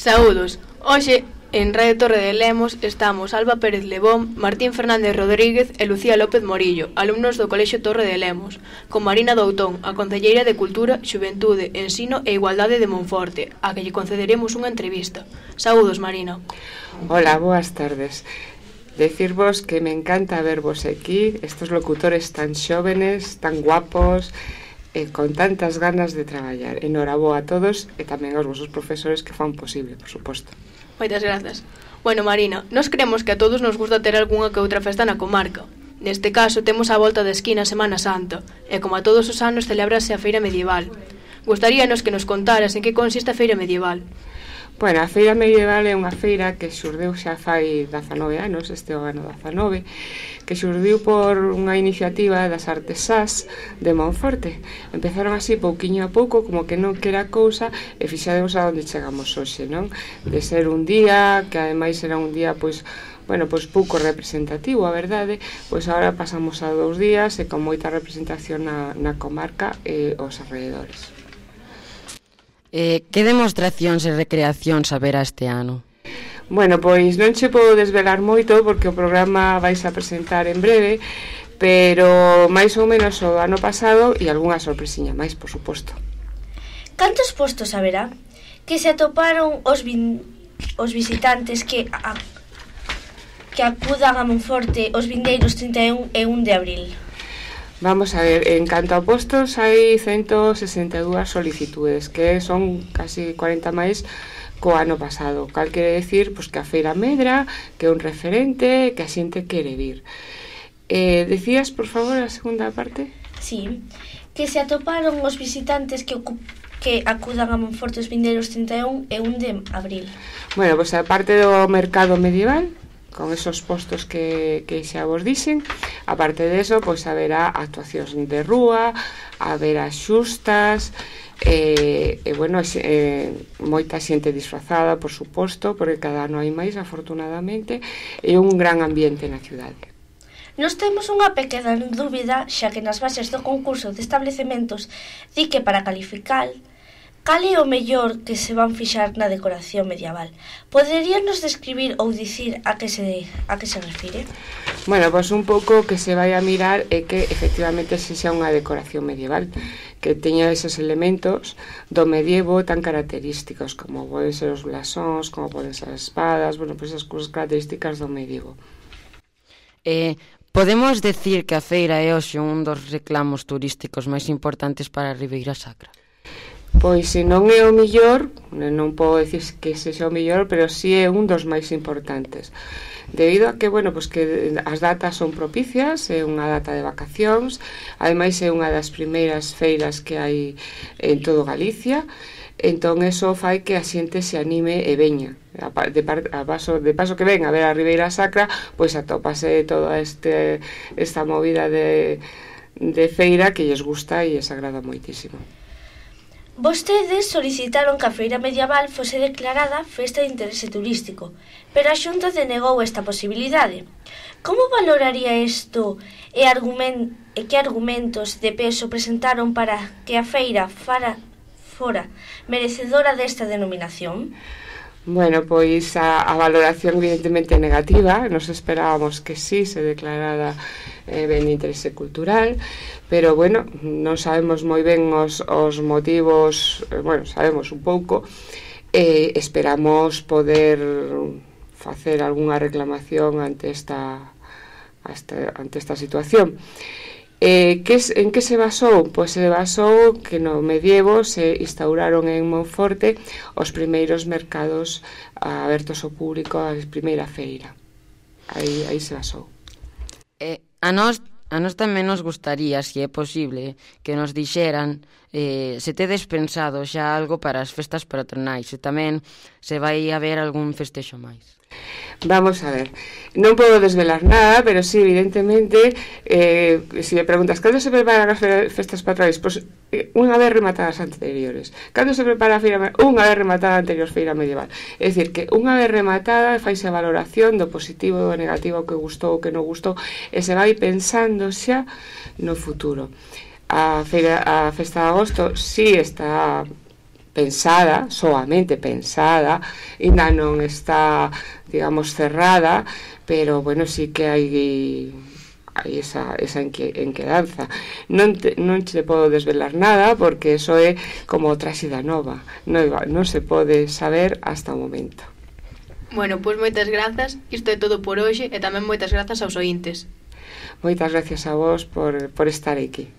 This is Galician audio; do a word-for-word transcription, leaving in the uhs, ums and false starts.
Saúdos. Hoxe, en Radio Torre de Lemos, estamos Alba Pérez Lebón, Martín Fernández Rodríguez e Lucía López Morillo, alumnos do Colexio Torre de Lemos, con Marina Doutón, a concelleira de Cultura, Xuventude, Ensino e Igualdade de Monforte, a que lle concederemos unha entrevista. Saúdos, Marina. Hola, boas tardes. Decirvos que me encanta vervos aquí, estos locutores tan xóvenes, tan guapos, e con tantas ganas de traballar. Enhoraboa a todos e tamén aos vosos profesores que fan posible, por suposto. Moitas grazas. Bueno, Marina, nos creemos que a todos nos gusta ter algunha que outra festa na comarca. Neste caso, temos a volta da esquina Semana Santa, e como a todos os anos celébrase a feira medieval. Gustaríanos que nos contaras en que consiste a feira medieval. Bueno, a feira medieval é unha feira que xurdeu xa fai dezanove anos, este é o ano dezanove, que xurdiu por unha iniciativa das artesás de Monforte. Empezaron así pouquiño a pouco, como que non quera cousa, e fixademos a onde chegamos hoxe, non? De ser un día, que ademais era un día, pois, bueno, pois pouco representativo, a verdade, pois agora pasamos a dous días e con moita representación na, na comarca e os alrededores. Eh, que demostracións e recreacións haberá este ano? Bueno, pois non che podo desvelar moito porque o programa vais a presentar en breve, pero máis ou menos o ano pasado e algunha sorpresiña máis, por suposto. Cantos postos haberá? Que se atoparon os, vin... os visitantes que, a... que acudan a Monforte os vindeiros trinta e un e un de abril? Vamos a ver, en canto a postos hai ciento sesenta e dúas solicitudes, que son casi cuarenta máis co ano pasado. Cal quere decir pois, que a feira medra, que é un referente, que a xente quere vir. Eh, decías, por favor, a segunda parte? Sí, que se atoparon os visitantes que, que acudan a Monforte os vindeiros trinta e un e un de abril. Bueno, pois a parte do mercado medieval, con esos postos que, que xa vos dixen, aparte de eso, pois haberá actuacións de rúa, haberá xustas, e, e bueno, e, moita xente disfrazada, por suposto, porque cada ano hai máis, afortunadamente, e un gran ambiente na cidade. Nos temos unha pequena dúbida, xa que nas bases do concurso de establecementos di que para calificar cal é o mellor que se van fixar na decoración medieval. Poderíanos describir ou dicir a que se a que se refire? Bueno, pois un pouco que se vai a mirar é que efectivamente se xa unha decoración medieval, que teña esos elementos do medievo tan característicos, como poden ser os blasóns, como poden ser as espadas, bueno, pois esas cousas características do medievo. Eh, podemos decir que a feira é hoxe un dos reclamos turísticos máis importantes para a Ribeira Sacra? Pois se non é o millor, non podo dicir que sexa o millor, pero si é un dos máis importantes. Debido a que, bueno, pois que as datas son propicias, é unha data de vacacións, ademais é unha das primeiras feiras que hai en todo Galicia, entón eso fai que a xente se anime e veña. De, par, a paso, de paso que ven a ver a Ribeira Sacra, pois atópase toda este, esta movida de, de feira que lles gusta e lles agrada moitísimo. Vostedes solicitaron que a feira medieval fose declarada festa de interese turístico, pero a Xunta denegou esta posibilidade. Como valoraría isto e, argument, e que argumentos de peso presentaron para que a feira fara, fora merecedora desta denominación? Bueno, pois a, a valoración evidentemente negativa, nos esperábamos que sí se declarara eh, ben de interese cultural, pero bueno, non sabemos moi ben os, os motivos, eh, bueno, sabemos un pouco, e eh, esperamos poder facer algunha reclamación ante esta, ante, ante esta situación. Eh, que, en que se basou? Pois se basou que no medievo se instauraron en Monforte os primeiros mercados abertos ao público, a primeira feira. Aí, aí se basou. Eh, a nós A nós tamén nos gustaría, se é posible, que nos dixeran eh, se tedes pensado xa algo para as festas patronais e tamén se vai haber algún festexo máis. Vamos a ver, non podo desvelar nada, pero sí, evidentemente, eh, se me preguntas cando se preparan as festas patronais, pois pues, unha vez rematadas anteriores. Cando se prepara a feira, unha vez rematada a anterior feira medieval. É dicir, que unha vez rematada faise a valoración do positivo e do negativo, que gustou ou que non gustou, e se vai pensando xa no futuro. A feira, a festa de agosto sí está pensada, soamente pensada, ainda non está, digamos, cerrada, pero, bueno, sí que hai hai esa, esa enquedanza. Non, te, non te podo desvelar nada, porque eso é como traxida nova, non, non se pode saber hasta o momento. Bueno, pois moitas grazas, isto é todo por hoxe, e tamén moitas grazas aos ointes. Moitas gracias a vos por, por estar aquí.